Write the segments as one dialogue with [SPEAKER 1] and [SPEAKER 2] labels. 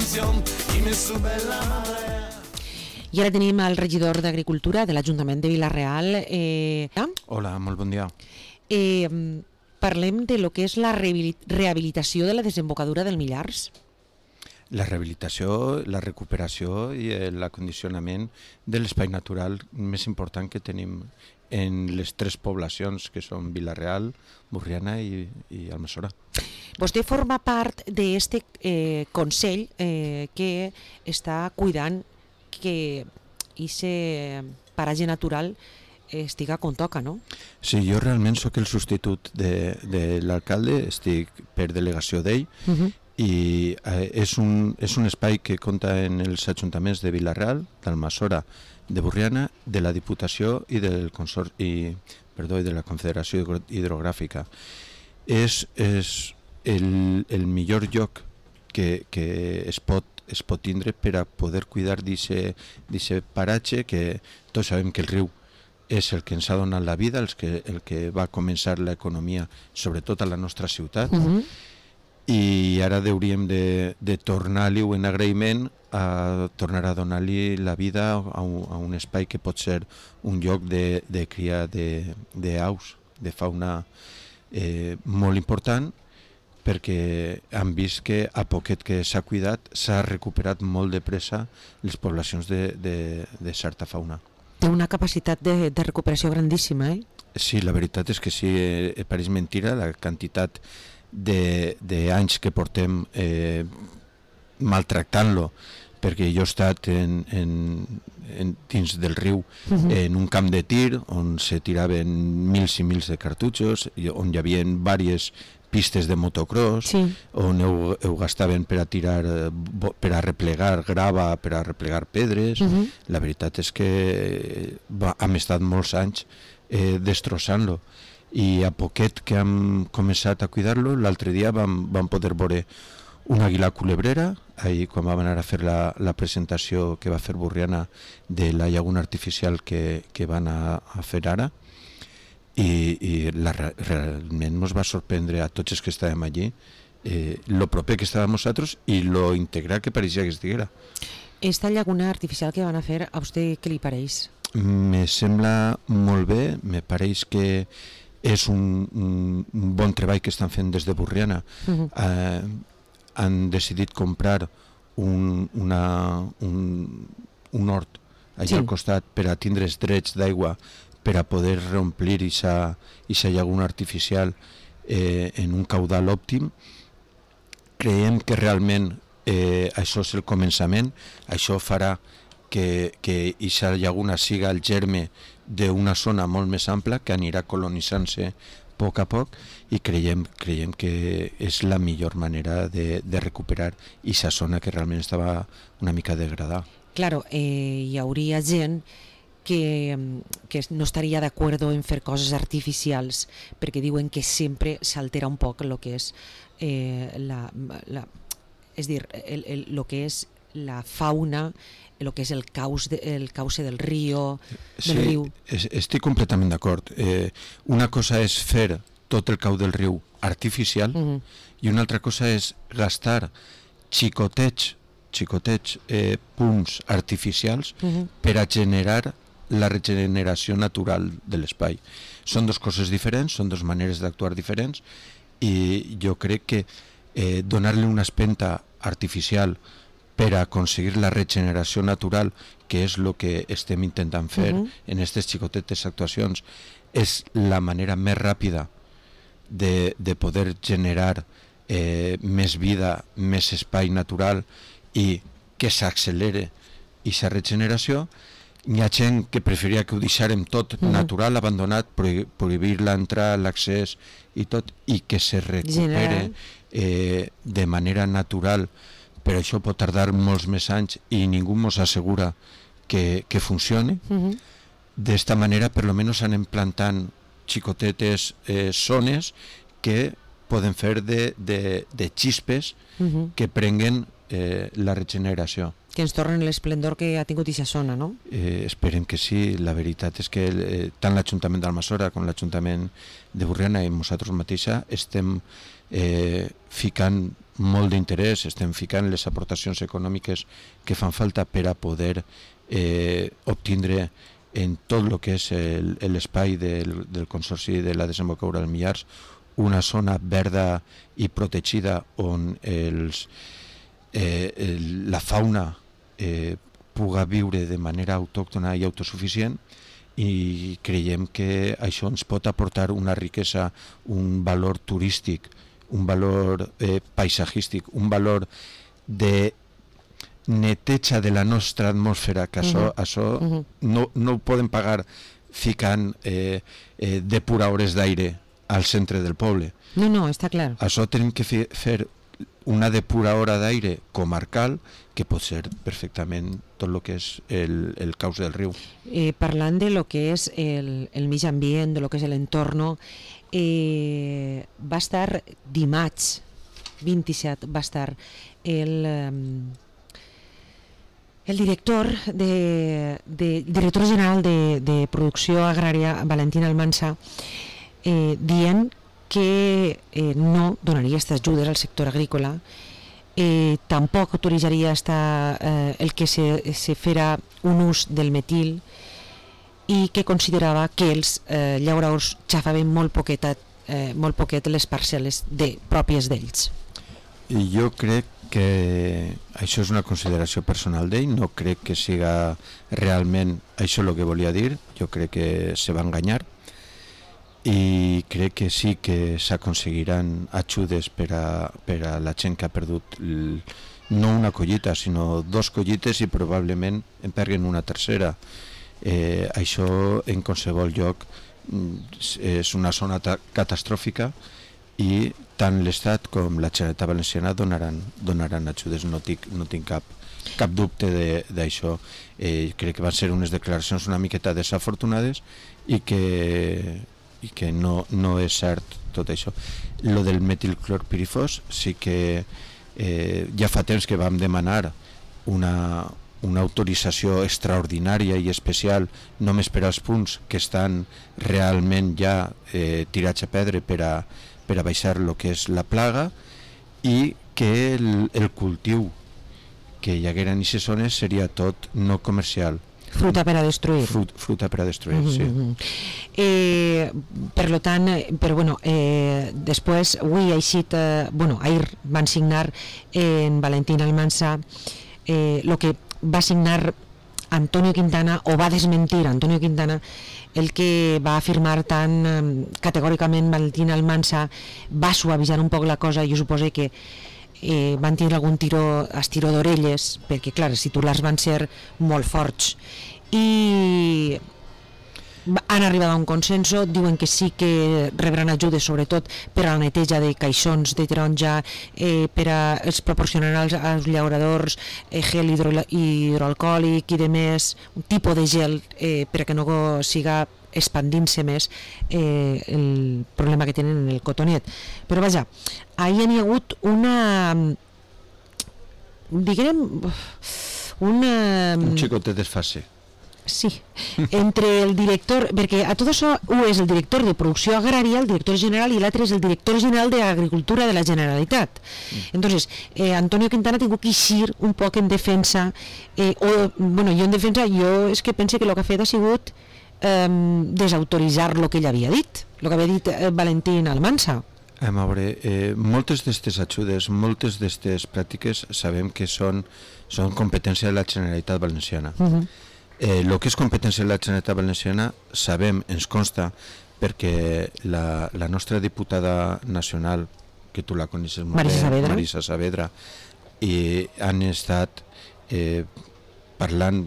[SPEAKER 1] canción y me sube la marea.
[SPEAKER 2] I ara tenim el regidor d'Agricultura de l'Ajuntament de Vila-real.
[SPEAKER 3] Hola, molt bon dia.
[SPEAKER 2] Parlem de lo que és la rehabilitació de la desembocadura del Millars.
[SPEAKER 3] La rehabilitació, la recuperació i l'acondicionament de l'espai natural més important que tenim en les tres poblacions que són Vila-real, Borriana i Almassora.
[SPEAKER 2] Vostè forma part d'aquest Consell que està cuidant que aquest paratge natural estiga com toca, no?
[SPEAKER 3] Sí, jo realment sóc el substitut de l'alcalde, estic per delegació d'ell, i és un espai que compta en els ajuntaments de Vila-real, d'Almassora, de Borriana, de la Diputació i de la Confederació Hidrogràfica. És el millor lloc que es pot tindre per a poder cuidar d'aquest paratge, que tots sabem que el riu és el que ens ha donat la vida, el que va començar l'economia, sobretot a la nostra ciutat, i ara hauríem de tornar-li en agraïment a tornar a donar-li la vida a un espai que pot ser un lloc de cria d'aus, de fauna molt important, perquè han vist que a poquet que s'ha cuidat s'ha recuperat molt de pressa les poblacions de certa fauna.
[SPEAKER 2] Té una capacitat de recuperació grandíssima, eh?
[SPEAKER 3] Sí, la veritat és que sí, pareix mentira la quantitat d'anys que portem maltractant-lo, perquè jo he estat dins del riu en un camp de tir on se tiraven mils i mils de cartutxos, on hi havia diverses pistes de motocross, on ho gastaven per a tirar, per a replegar grava, per a replegar pedres. La veritat és que hem estat molts anys destrossant-lo, i a poquet que hem començat a cuidar-lo, l'altre dia vam poder veure una àguila culebrera, ahir quan vam anar a fer la presentació que va fer Borriana de la llaguna artificial que van a fer ara, i realment ens va sorprendre a tots els que estàvem allí lo proper que estàvem nosaltres i lo integral que pareixia que estiguera.
[SPEAKER 2] Esta llaguna artificial que van a fer, a vostè què li pareix?
[SPEAKER 3] Me sembla molt bé, me pareix que és un bon treball que estan fent des de Borriana. Han decidit comprar un hort allà al costat per a tindre els drets d'aigua per a poder reomplir aquesta llaguna artificial en un caudal òptim. Creiem que realment això és el començament, això farà que aquesta llaguna siga el germe d'una zona molt més ampla que anirà colonitzant-se a poc, i creiem que és la millor manera de recuperar aquesta zona que realment estava una mica degradada.
[SPEAKER 2] Claro, hi hauria gent que no estaria d'acord en fer coses artificials, perquè diuen que sempre s'altera un poc el que és el que és la fauna, el que és el cauce del riu.
[SPEAKER 3] Sí, estic completament d'acord. Una cosa és fer tot el cau del riu artificial, i una altra cosa és gastar xicotets punts artificials per a generar la regeneració natural de l'espai. Són dues coses diferents, són dues maneres d'actuar diferents, i jo crec que donar-li una espenta artificial per a aconseguir la regeneració natural, que és el que estem intentant fer en aquestes xicotetes actuacions, és la manera més ràpida de poder generar més vida, més espai natural, i que s'accelere aquesta regeneració. Hi ha gent que preferiria que ho deixarem tot natural, abandonat, prohibir l'entrada, l'accés i tot, i que se recupere de manera natural, però això pot tardar molts més anys i ningú ens assegura que funcioni. D'esta manera, per almenys anem plantant xicotetes zones que poden fer de xispes que prenguen la regeneració.
[SPEAKER 2] Que ens tornen l'esplendor que ha tingut aquesta zona, no?
[SPEAKER 3] Esperem que sí. La veritat és que tant l'Ajuntament d'Almassora com l'Ajuntament de Borriana i nosaltres mateixa estem ficant molt d'interès, estem ficant les aportacions econòmiques que fan falta per a poder obtindre en tot el que és l'espai del Consorci de la Desembocadura del Millars una zona verda i protegida on la fauna puga viure de manera autòctona i autosuficient, i creiem que això ens pot aportar una riquesa, un valor turístic, un valor paisatgístic, un valor de neteja de la nostra atmosfera, que això no ho podem pagar ficant depuradores d'aire al centre del poble.
[SPEAKER 2] No, està clar.
[SPEAKER 3] Això tenim que fer una depuradora d'aire comarcal, que pot ser perfectament tot el que és el cauce del riu.
[SPEAKER 2] Parlant de lo que és el mig ambient, de lo que és l'entorn, va estar dimarts 27, va estar el director general de Producció Agrària, Valentín Almansa, dient que no donaria aquestes ajudes al sector agrícola, tampoc autoritzaria el que se fera un ús del metil, i que considerava que els llauradors xafaven molt poquet les parcel·les pròpies d'ells.
[SPEAKER 3] I jo crec que això és una consideració personal d'ell, no crec que siga realment això el que volia dir, jo crec que se va enganyar, i crec que sí que s'aconseguiran ajudes per a la gent que ha perdut no una collita, sinó 2 collites, i probablement en perguen una tercera. Això en qualsevol lloc és una zona catastròfica, i tant l'Estat com la Generalitat Valenciana donaran ajudes, no tinc cap dubte d'això. Crec que van ser unes declaracions una miqueta desafortunades i que no és cert tot això. Lo del metilclorpirifos sí que ja fa temps que vam demanar una autorització extraordinària i especial només per als punts que estan realment ja tirats a pedra per a baixar el que és la plaga, i que el cultiu que hi haguera en aquestes zones seria tot no comercial.
[SPEAKER 2] Fruta per a destruir.
[SPEAKER 3] Fruta per a destruir, sí.
[SPEAKER 2] Per lo tant, després, avui ahir van signar en Valentín Almansa el que va signar Antonio Quintana, o va desmentir Antonio Quintana, el que va afirmar tan categòricament Valentín Almansa. Va suavitzar un poc la cosa, i jo suposo que van tindre algun estiró d'orelles, perquè clar, els titulars van ser molt forts, i han arribat a un consenso. Diuen que sí que rebran ajudes, sobretot per a la neteja de caixons de taronja, per a els proporcionar als llauradors gel hidroalcohòlic i demés, un tipus de gel per a que no siga expandint-se més el problema que tenen en el cotonet. Però vaja, ahir hi ha hagut un
[SPEAKER 3] xicotet desfase.
[SPEAKER 2] Sí, entre el director, perquè a tot això un és el director de Producció Agrària, el director general, i l'altre és el director general d'Agricultura de la Generalitat. Entonces, Antonio Quintana ha tingut que eixir un poc en defensa, jo és que pense que el que ha fet ha sigut desautoritzar el que ell havia dit, el que havia dit Valentín Almansa.
[SPEAKER 3] A veure, moltes d'aquestes ajudes, moltes d'aquestes pràctiques sabem que són competència de la Generalitat Valenciana. El que és competència de la Generalitat Valenciana sabem, ens consta, perquè la nostra diputada nacional, que tu la coneixes molt bé, Marisa Saavedra, i han estat parlant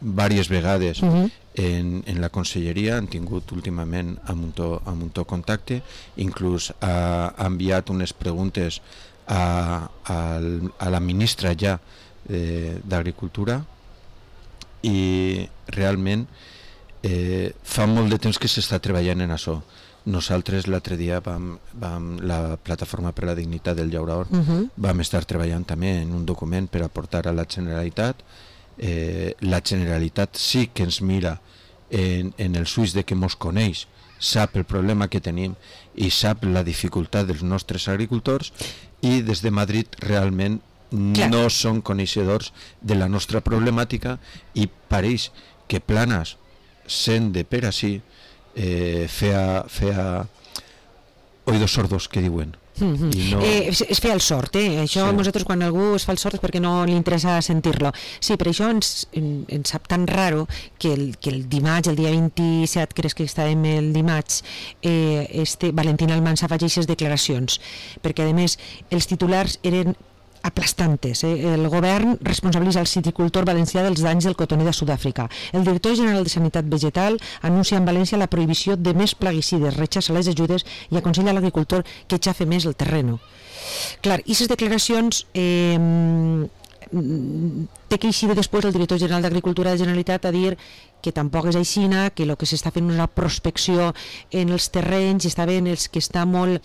[SPEAKER 3] diverses vegades en la conselleria, han tingut últimament amb un to contacte, inclús ha enviat unes preguntes a la ministra ja d'Agricultura, i realment fa molt de temps que s'està treballant en això. Nosaltres l'altre dia la Plataforma per la Dignitat del Llaurador vam estar treballant també en un document per aportar a la Generalitat. La Generalitat sí que ens mira en els ulls de que mos coneix, sap el problema que tenim i sap la dificultat dels nostres agricultors, i des de Madrid realment no són coneixedors de la nostra problemàtica, i pareix que Planas, sent de per així, feia oïdos sordos, que diuen.
[SPEAKER 2] I no... es fer el sord, això sí. Nosaltres quan algú es fa el sord és perquè no li interessa sentir-lo. Sí, per això ens sap tan raro que el dimarts, el dia 27, crec que estàvem el dimarts, Valentín Almansa faci aquestes declaracions, perquè a més els titulars eren aplastantes. El govern responsabilitza el citicultor valencià dels danys del cotoner de Sud-àfrica. El director general de Sanitat Vegetal anuncia en València la prohibició de més plaguicides, rechaça les ajudes i aconsella a l'agricultor que xafe més el terreno. Clar, i aquestes declaracions té que eixir després el director general d'Agricultura de la Generalitat a dir que tampoc és aixina, que el que s'està fent una prospecció en els terrenys, està bé en els que està molt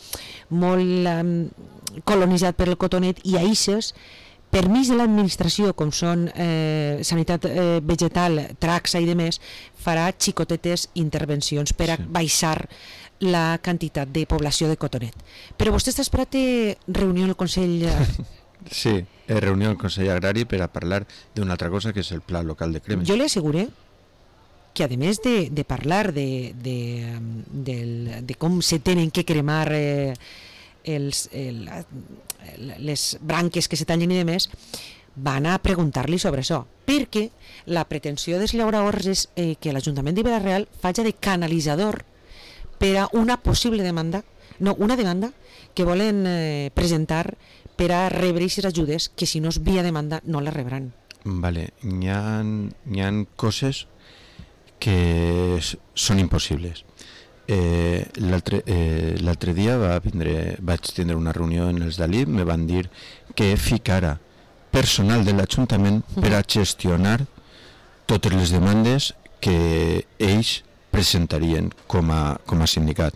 [SPEAKER 2] colonitzat per el cotonet, i a ixes permís de l'administració, com són sanitat vegetal, Traxa i demés, farà xicotetes intervencions per a baixar la quantitat de població de cotonet. Però vostè està esperat reunió en el Consell...
[SPEAKER 3] Sí, reunió al Consell Agrari per a parlar d'una altra cosa, que és el pla local de cremes.
[SPEAKER 2] Jo li asseguré que a més de parlar de com se tenen que cremar les branques que se tallen i demés, van a preguntar-li sobre això, perquè la pretensió dels llauradors és que l'Ajuntament de Vila-real faci de canalitzador per a una possible demanda, una demanda que volen presentar per a rebre aquestes ajudes, que si no és via demanda no les rebran.
[SPEAKER 3] Vale, hi ha coses que són impossibles. L'altre dia vaig tindre una reunió en els d'Alip, me van dir que ficara personal de l'Ajuntament per a gestionar totes les demandes que ells presentarien com a sindicat.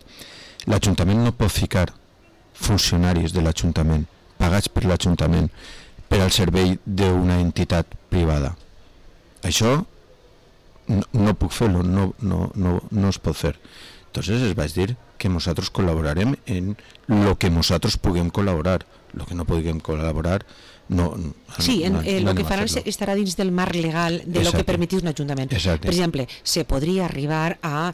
[SPEAKER 3] L'Ajuntament no pot ficar funcionaris de l'Ajuntament pagats per l'Ajuntament per al servei d'una entitat privada. Això no puc fer-lo, no es pot fer. Entonces es vaig dir que nosaltres col·laborarem en lo que nosaltres puguem col·laborar. Lo que no puguem col·laborar no.
[SPEAKER 2] Sí, el que faran estarà dins del marc legal de lo que permetís un ajuntament.
[SPEAKER 3] Exacte.
[SPEAKER 2] Per exemple, se podria arribar a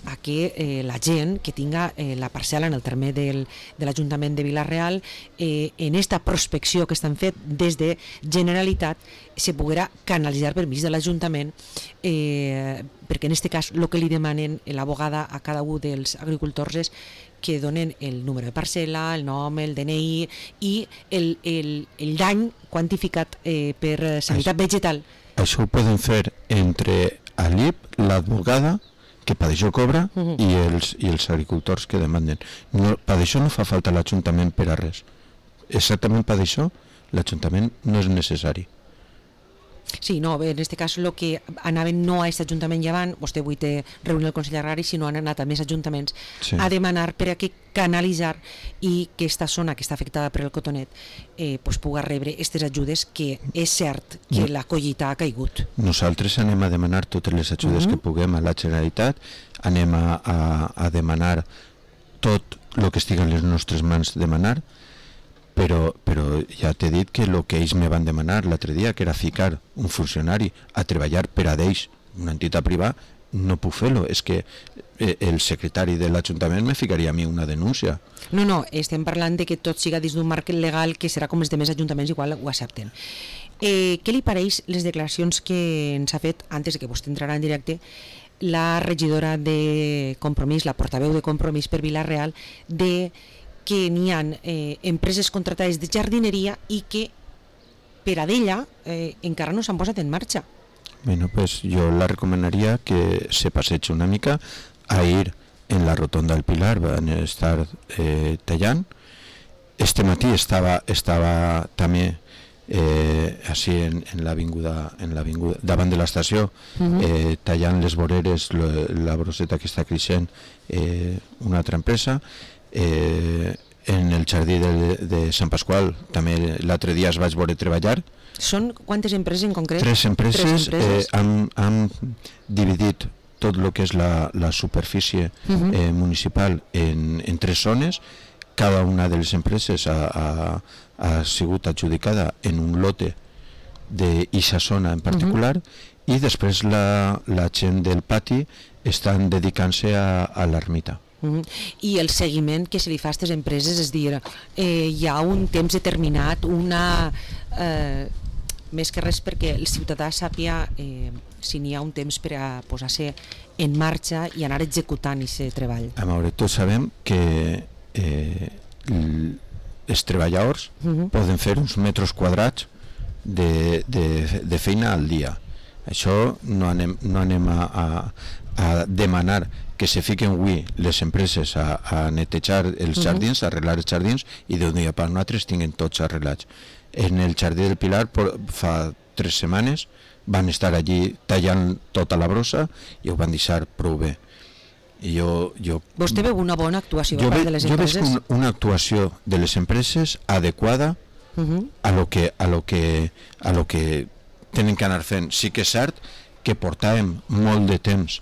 [SPEAKER 2] a que la gent que tinga la parcel·la en el terme de l'Ajuntament de Vila-real, en esta prospecció que estan fet des de Generalitat, se poguera canalitzar per mig de l'Ajuntament, perquè en aquest cas el que li demanen l'abogada a cada un dels agricultors és que donen el número de parcel·la, el nom, el DNI i el dany quantificat per sanitat vegetal.
[SPEAKER 3] Això ho poden fer entre Alip, l'advogada, que per això cobra, i els agricultors que demanden. Per això no fa falta l'Ajuntament per a res. Exactament per això l'Ajuntament no és necessari.
[SPEAKER 2] Sí, no, en aquest cas el que anaven no a aquest Ajuntament llevant, vostè avui té reunió al Consell Agrari, sinó han anat a més ajuntaments a demanar per a que canalitzar i que aquesta zona que està afectada per el cotonet pugui rebre aquestes ajudes, que és cert que la collita ha caigut.
[SPEAKER 3] Nosaltres anem a demanar totes les ajudes que puguem a la Generalitat, anem a demanar tot el que estigui en les nostres mans demanar, però ja t'he dit que el que ells me van demanar l'altre dia, que era ficar un funcionari a treballar per a d'ells, una entitat privada, no puc fer-lo. És que el secretari de l'Ajuntament me ficaria a mi una denúncia.
[SPEAKER 2] No, estem parlant de que tot siga dins d'un marc legal que serà com els demés ajuntaments, igual ho accepten. Què li pareix les declaracions que ens ha fet, antes de que vostè entrarà en directe, la regidora de Compromís, la portaveu de Compromís per Vila-real, de que n'hi ha empreses contratades de jardineria i que per a d'ella encara no s'han posat en marxa?
[SPEAKER 3] Bueno, pues yo la recomanaría que se passeig una mica a ir en la rotonda del Pilar, van a estar tallant. Este matí estava també així en l'avinguda davant de l'estació, tallant les voreres, la broseta que està creixent, una altra empresa. En el jardí de Sant Pasqual també l'altre dia es vaig veure treballar.
[SPEAKER 2] Són quantes empreses en concret?
[SPEAKER 3] Tres empreses. Han dividit tot el que és la superfície municipal en tres zones. Cada una de les empreses ha sigut adjudicada en un lote d'eixa zona en particular, i després la gent del pati estan dedicant-se a l'ermita.
[SPEAKER 2] I el seguiment que se li fa a aquestes empreses, és dir, hi ha un temps determinat, més que res perquè el ciutadà sàpiga si n'hi ha un temps per a posar-se en marxa i anar executant aquest treball.
[SPEAKER 3] A veure, tots sabem que els treballadors poden fer uns metres quadrats de feina al dia. Això no anem a demanar que se fiquen avui les empreses a netejar els jardins, a arreglar els jardins, i d'un dia per l'altre tinguin tots arreglats. En el jardí del Pilar fa 3 setmanes van estar allí tallant tota la brossa i ho van deixar prou bé.
[SPEAKER 2] Vostè veu una bona actuació per part de les empreses?
[SPEAKER 3] Jo veig una actuació de les empreses adequada a lo que tenen que anar fent. Sí que és cert que portàvem molt de temps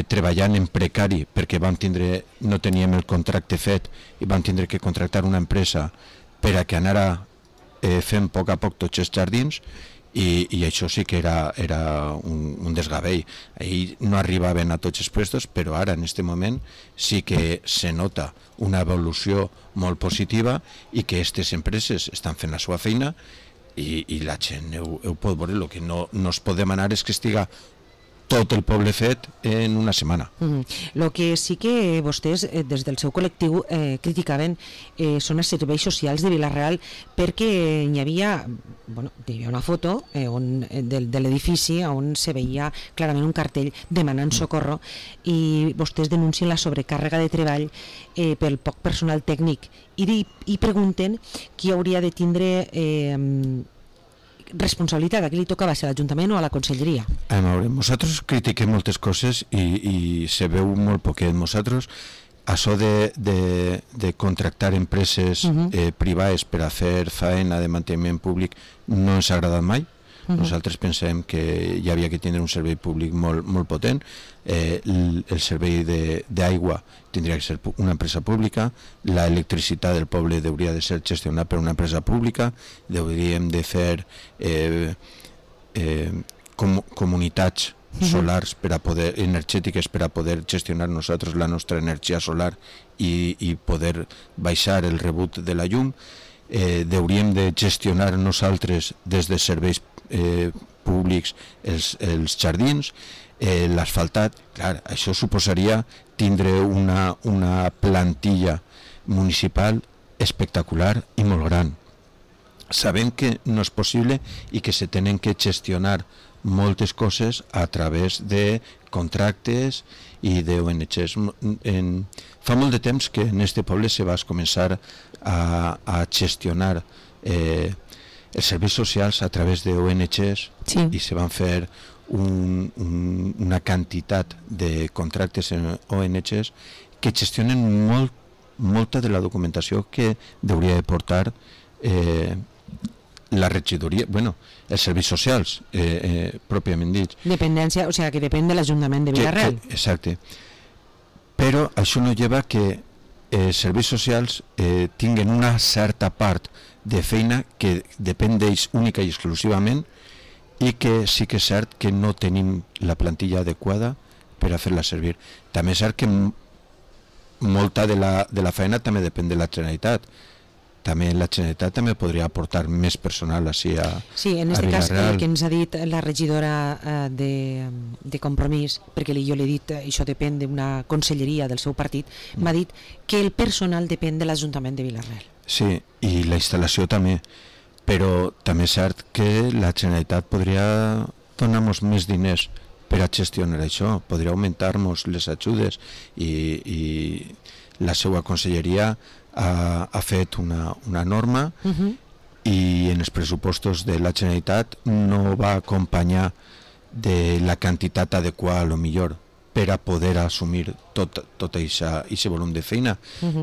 [SPEAKER 3] treballant en precari perquè no teníem el contracte fet i vam tindre que contractar una empresa per a que anara fent a poc tots els jardins, i això sí que era un desgavell. Ahir no arribaven a tots els puestos, però ara en aquest moment sí que se nota una evolució molt positiva i que aquestes empreses estan fent la seva feina i la gent ho pot veure. El que no es pot demanar és que estiga tot el poble fet en una setmana.
[SPEAKER 2] El que sí que vostès des del seu col·lectiu criticaven són els serveis socials de Vila-real, perquè hi havia una foto de l'edifici on se veia clarament un cartell demanant socorro, i vostès denuncien la sobrecàrrega de treball pel poc personal tècnic i pregunten qui hauria de tindre responsabilitat, a qui li tocava, ser a l'Ajuntament o a la Conselleria?
[SPEAKER 3] A veure, nosaltres critiquem moltes coses i se veu molt poquet. Nosaltres, això de contractar empreses privades per a fer feina de manteniment públic no ens ha agradat mai. Nosaltres pensem que hi havia que tindre un servei públic molt potent. El servei d'aigua tindria que ser una empresa pública, l'electricitat del poble hauria de ser gestionada per una empresa pública, hauríem de fer comunitats solars energètiques per a poder gestionar nosaltres la nostra energia solar i poder baixar el rebut de la llum. Hauríem de gestionar nosaltres des de serveis públics els jardins, l'asfaltat. Clar, això suposaria tindre una plantilla municipal espectacular i molt gran. Sabem que no és possible i que se tenen que gestionar moltes coses a través de contractes i d'ONGs. Fa molt de temps que en este poble se va començar a gestionar els serveis socials a través d'ONGs, i se van fer una quantitat de contractes en ONGs que gestionen molta de la documentació que hauria de portar la regidoria, els serveis socials pròpiament dits.
[SPEAKER 2] Dependència, o sigui que depèn de l'Ajuntament de Vila-real.
[SPEAKER 3] Exacte. Però això no lleva que els serveis socials tinguen una certa part de feina que depèn d'ells única i exclusivament, i que sí que és cert que no tenim la plantilla adequada per a fer-la servir. També és cert que molta de la feina també depèn de la Generalitat. També la Generalitat també podria aportar més personal així a Vila-real.
[SPEAKER 2] Sí, en aquest cas el que ens ha dit la regidora de Compromís, perquè jo l'he dit, això depèn d'una conselleria del seu partit, m'ha dit que el personal depèn de l'Ajuntament de Vila-real.
[SPEAKER 3] Sí, i la instal·lació també, però també és cert que la Generalitat podria donar-nos més diners per a gestionar això, podria augmentar-nos les ajudes, i la seva conselleria ha fet una norma i en els pressupostos de la Generalitat no va acompanyar de la quantitat adequada, a lo millor, per a poder assumir tot aquest volum de feina.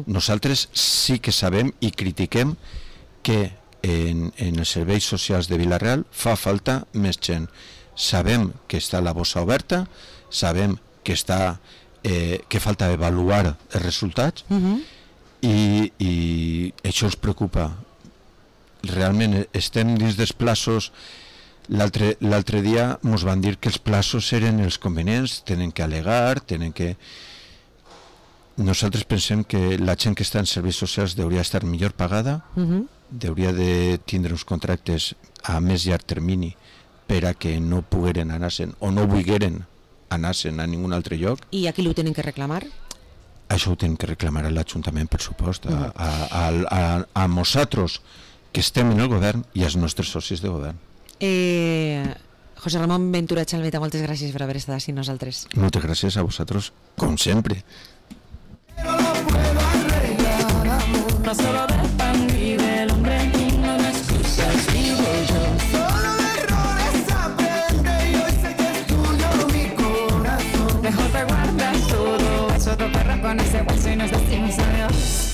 [SPEAKER 3] Nosaltres sí que sabem i critiquem que en els serveis socials de Vila-real fa falta més gent. Sabem que està la bossa oberta, sabem que que falta avaluar els resultats, i això ens preocupa. Realment estem dins dels plaços. L'altre dia ens van dir que els plaços eren els convenients, tenen que al·legar, nosaltres pensem que la gent que està en serveis socials hauria d'estar millor pagada, hauria de tindre uns contractes a més llarg termini per a que no pogueren anar-se'n o no volgueren anar-se'n a ningun altre lloc.
[SPEAKER 2] I a qui ho tenen que reclamar?
[SPEAKER 3] Això ho tenen que reclamar a l'Ajuntament, per supost, a nosaltres que estem en el govern i als nostres socis de govern.
[SPEAKER 2] José Ramón Ventura Chalmeta, moltes gràcies per haver estat així nosaltres.
[SPEAKER 3] Moltes gràcies a vosaltres, com sempre.
[SPEAKER 4] No solo del pan vive el hombre, no me excusas, digo yo. Solo de errores aprende y hoy sé que es tuyo mi corazón. Mejor te guardas todo eso, tu perro con ese hueso y nos decimos adiós.